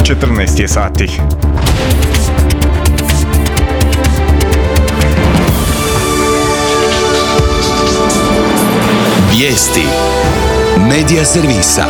14 je sati. Vijesti Medija servisa.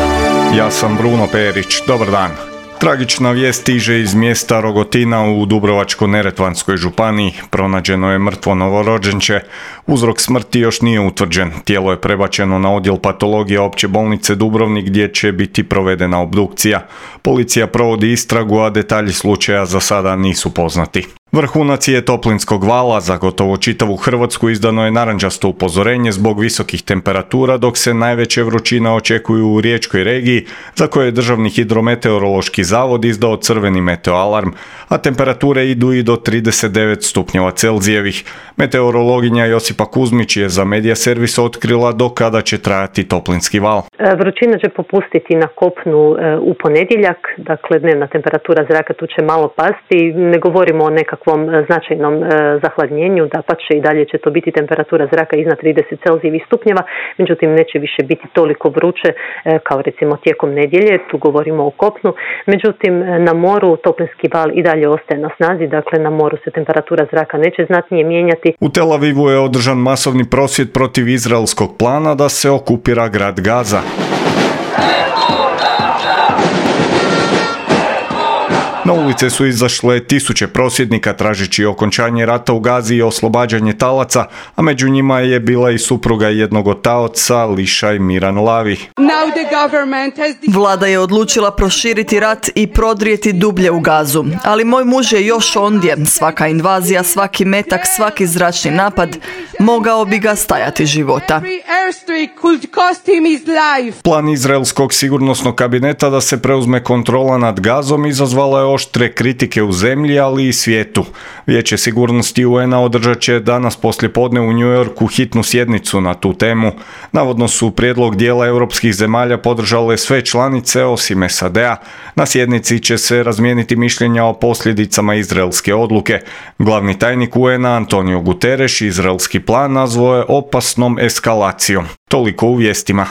Ja sam Bruno Perić, dobar dan. Tragična vijest stiže iz mjesta Rogotina u Dubrovačko-neretvanskoj županiji. Pronađeno je mrtvo novorođenče. Uzrok smrti još nije utvrđen. Tijelo je prebačeno na odjel patologije Opće bolnice Dubrovnik gdje će biti provedena obdukcija. Policija provodi istragu, a detalji slučaja za sada nisu poznati. Vrhunac je toplinskog vala. Za gotovo čitavu Hrvatsku izdano je narančasto upozorenje zbog visokih temperatura, dok se najveće vrućine očekuju u riječkoj regiji, za koje je Državni hidrometeorološki zavod izdao crveni meteoalarm, a temperature idu i do 39 stupnjeva Celzijevih. Meteorologinja Josipa Kuzmić je za Medija servis otkrila do kada će trajati toplinski val. Vrućina će popustiti na kopnu u ponedjeljak, dakle dnevna temperatura zraka tu će malo pasti, ne govorimo o nekakvom značajnom zahladnjenju, dapače i dalje će to biti temperatura zraka iznad 30 Celzijevih stupnjeva, međutim neće više biti toliko vruće kao recimo tijekom nedjelje, tu govorimo o kopnu, međutim na moru toplinski val i dalje ostaje na snazi, dakle na moru se temperatura zraka neće znatnije mijenjati. U Tel Avivu je održan masovni prosvjed protiv izraelskog plana da se okupira grad Gaza. Na ulice su izašle tisuće prosvjednika tražeći okončanje rata u Gazi i oslobađanje talaca, a među njima je bila i supruga jednog od taoca, Lišaj Miran Lavi. Vlada je odlučila proširiti rat i prodrijeti dublje u Gazu, ali moj muž je još ondje. Svaka invazija, svaki metak, svaki zračni napad mogao bi ga stajati života. Plan izraelskog sigurnosnog kabineta da se preuzme kontrola nad Gazom izazvala je oštre kritike u zemlji, ali i svijetu. Vijeće sigurnosti UN-a održat će danas poslijepodne u New Yorku hitnu sjednicu na tu temu. Navodno su prijedlog dijela europskih zemalja podržale sve članice osim SAD-a. Na sjednici će se razmijeniti mišljenja o posljedicama izraelske odluke. Glavni tajnik UN-a Antonio Guterres izraelski plan nazvao je opasnom eskalacijom. Toliko u vijestima.